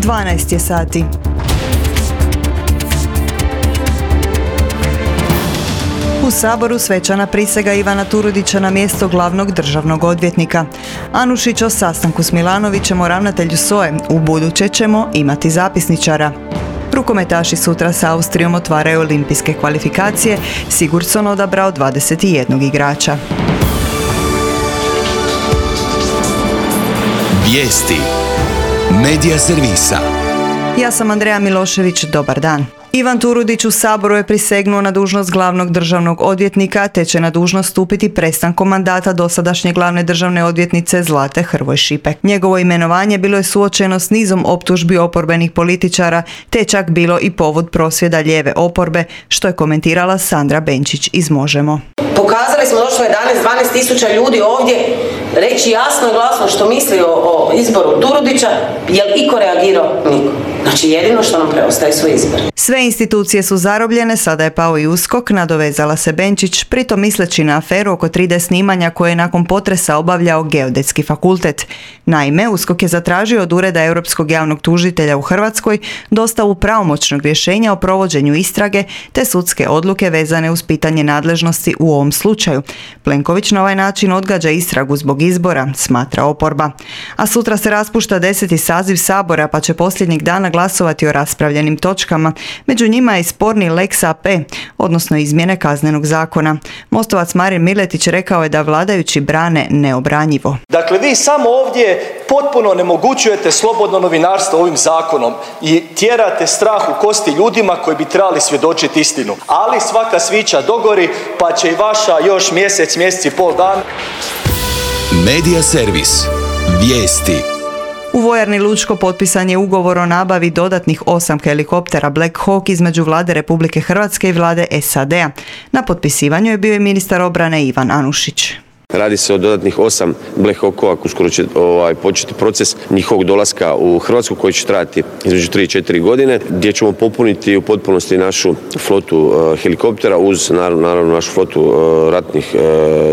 12 je sati. U Saboru svečana prisega Ivana Turudića na mjesto glavnog državnog odvjetnika. Anušić o sastanku s Milanovićem o ravnatelju SOA-e. Ubuduće ćemo imati zapisničara. Rukometaši sutra s Austrijom otvaraju olimpijske kvalifikacije. Sigurdsson odabrao 21 igrača. Vijesti. Medija servisa. Ja sam Andreja Milošević, dobar dan. Ivan Turudić u Saboru je prisegnuo na dužnost glavnog državnog odvjetnika, te će na dužnost stupiti prestankom mandata dosadašnje glavne državne odvjetnice Zlate Hrvoj Šipek. Njegovo imenovanje bilo je suočeno s nizom optužbi oporbenih političara, te čak bilo i povod prosvjeda lijeve oporbe, što je komentirala Sandra Benčić iz Možemo. Pokazali smo došlo 11-12 tisuća ljudi ovdje reći jasno i glasno što misli o izboru Turudića. Je li iko reagirao? Niko. Znači jedino što nam preostaje su izbor. Sve institucije su zarobljene, sada je pao i USKOK, nadovezala se Benčić, pritom misleći na aferu oko 3D snimanja koje je nakon potresa obavljao Geodetski fakultet. Naime, USKOK je zatražio od Ureda Europskog javnog tužitelja u Hrvatskoj dostavu pravomoćnog rješenja o provođenju istrage te sudske odluke vezane uz pitanje nadležnosti u ovom slučaju. Plenković na ovaj način odgađa istragu zbog izbora, smatra oporba. A sutra se raspušta 10. saziv Sabora, pa će posljednjeg dana glasovati o raspravljenim točkama. Među njima je sporni Lex AP, odnosno izmjene Kaznenog zakona. Mostovac Marin Miletić rekao je da vladajući brane neobranjivo. Dakle, vi samo ovdje potpuno onemogućujete slobodno novinarstvo ovim zakonom i tjerate strah u kosti ljudima koji bi trebali svjedočiti istinu. Ali svaka svića dogori, pa će i vaša još mjesec i pol dan. Medija servis. Vijesti. U vojarni Lučko potpisan je ugovor o nabavi dodatnih 8 helikoptera Black Hawk između vlade Republike Hrvatske i vlade SAD-a. Na potpisivanju je bio i ministar obrane Ivan Anušić. Radi se o dodatnih 8 Black Hawkova, uskoro će početi proces njihovog dolaska u Hrvatsku koji će trajati između 3 i 4 godine, gdje ćemo popuniti u potpunosti našu flotu helikoptera uz naravno našu flotu ratnih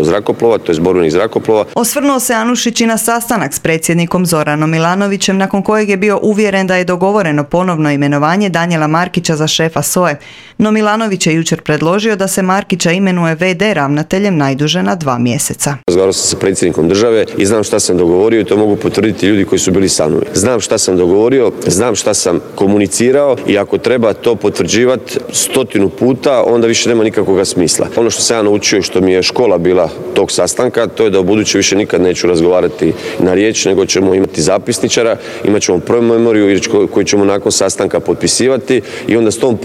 zrakoplova, to je borbenih zrakoplova. Osvrnuo se Anušić i na sastanak s predsjednikom Zoranom Milanovićem, nakon kojeg je bio uvjeren da je dogovoreno ponovno imenovanje Danijela Markića za šefa SOA-e. No Milanović je jučer predložio da se Markića imenuje VD ravnateljem najduže na 2 mjeseca. Razgovarao sam sa predsjednikom države i znam šta sam dogovorio i to mogu potvrditi ljudi koji su bili sa mnom. Znam šta sam dogovorio, znam šta sam komunicirao i ako treba to potvrđivati 100 puta, onda više nema nikakvog smisla. Ono što sam ja naučio, što mi je škola bila tog sastanka, to je da u buduće više nikad neću razgovarati na riječ, nego ćemo imati zapisničara, imat ćemo promemoriju koju ćemo nakon sastanka potpisivati i onda s tom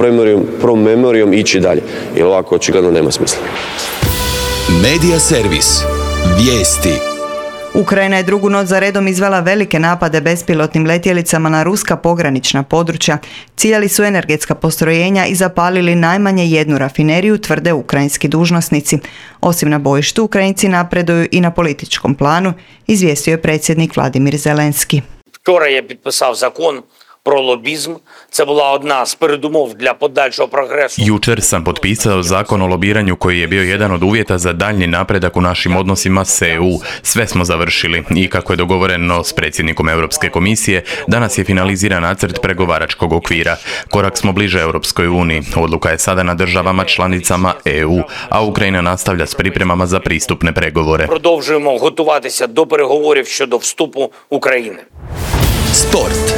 promemorijom ići dalje. Jer ovako očigledno nema smisla. Medija servis. Vijesti. Ukrajina je drugu noć za redom izvela velike napade bespilotnim letjelicama na ruska pogranična područja. Ciljali su energetska postrojenja i zapalili najmanje jednu rafineriju, tvrde ukrajinski dužnosnici. Osim na bojištu, Ukrajinci napreduju i na političkom planu, izvijestio je predsjednik Vladimir Zelenski. Вчора я підписав закон про лобізм. Це була одна з передумов для подальшого прогресу. Jučer sam potpisao zakon o lobiranju koji je bio jedan od uvjeta za daljnji napredak u našim odnosima s EU. Sve smo završili i kako je dogovoreno s predsjednikom Europske komisije, danas je finaliziran nacrt pregovaračkog okvira. Korak smo bliže Europskoj uniji. Odluka je sada na državama članicama EU, a Ukrajina nastavlja s pripremama za pristupne pregovore. Продовжуємо готуватися до переговорів щодо вступу України. Sport.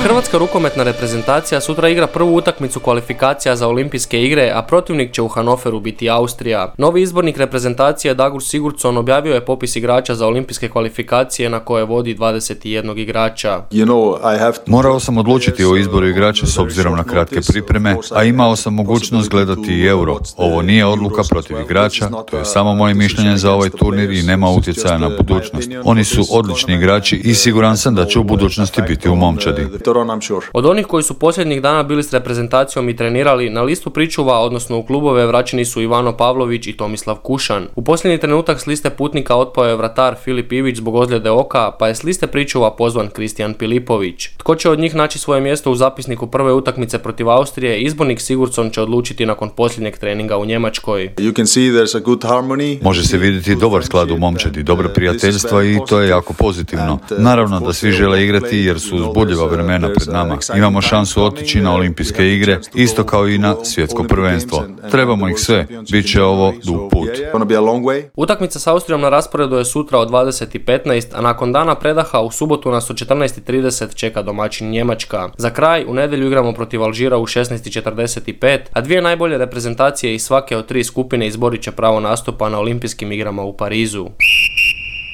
Hrvatska rukometna reprezentacija sutra igra prvu utakmicu kvalifikacija za olimpijske igre, a protivnik će u Hanoveru biti Austrija. Novi izbornik reprezentacije Dagur Sigurdsson objavio je popis igrača za olimpijske kvalifikacije na koje vodi 21 igrača. Morao sam odlučiti o izboru igrača s obzirom na kratke pripreme, a imao sam mogućnost gledati i Euro. Ovo nije odluka protiv igrača, to je samo moje mišljenje za ovaj turnir i nema utjecaja na budućnost. Oni su odlični igrači i siguran sam da će u budućnosti biti u momčadi. Od onih koji su posljednjih dana bili s reprezentacijom i trenirali, na listu pričuva, odnosno u klubove, vraćeni su Ivano Pavlović i Tomislav Kušan. U posljednji trenutak s liste putnika otpao je vratar Filip Ivić zbog ozljede oka, pa je s liste pričuva pozvan Kristijan Pilipović. Tko će od njih naći svoje mjesto u zapisniku prve utakmice protiv Austrije, izbornik Sigurdsson će odlučiti nakon posljednjeg treninga u Njemačkoj. Može se vidjeti dobar sklad u momčadi, dobra prijateljstva i to je jako pozitivno. Naravno da svi žele igrati jer su uzbudljiva vremena pred nama. Imamo šansu otići na olimpijske igre, isto kao i na svjetsko prvenstvo. Trebamo ih sve, bit će ovo dug put. Utakmica s Austrijom na rasporedu je sutra od 20:15, a nakon dana predaha u subotu nas od 14:30 čeka domaćin Njemačka. Za kraj, u nedjelju igramo protiv Alžira u 16:45, a dvije najbolje reprezentacije iz svake od tri skupine izborit će pravo nastupa na olimpijskim igrama u Parizu.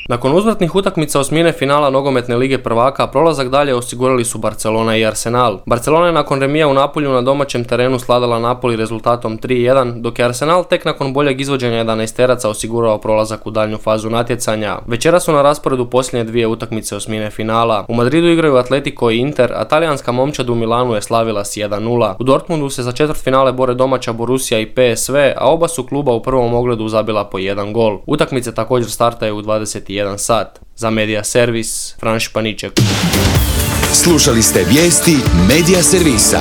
Nakon uzvratnih utakmica osmine finala nogometne lige prvaka, prolazak dalje osigurali su Barcelona i Arsenal. Barcelona je nakon remija u Napolju na domaćem terenu sladala Napoli rezultatom 3:1, dok je Arsenal tek nakon boljeg izvođenja 11-teraca osigurao prolazak u daljnju fazu natjecanja. Večera su na rasporedu posljednje dvije utakmice osmine finala. U Madridu igraju Atletico i Inter, a talijanska momčad u Milanu je slavila s 1:0. U Dortmundu se za četvrtfinale bore domaća Borussia i PSV, a oba su kluba u prvom ogledu zabila po jedan gol. Utakmice također startaju u 21 sat. Za Media Servis, Fran Španiček. Slušali ste vijesti Media Servisa.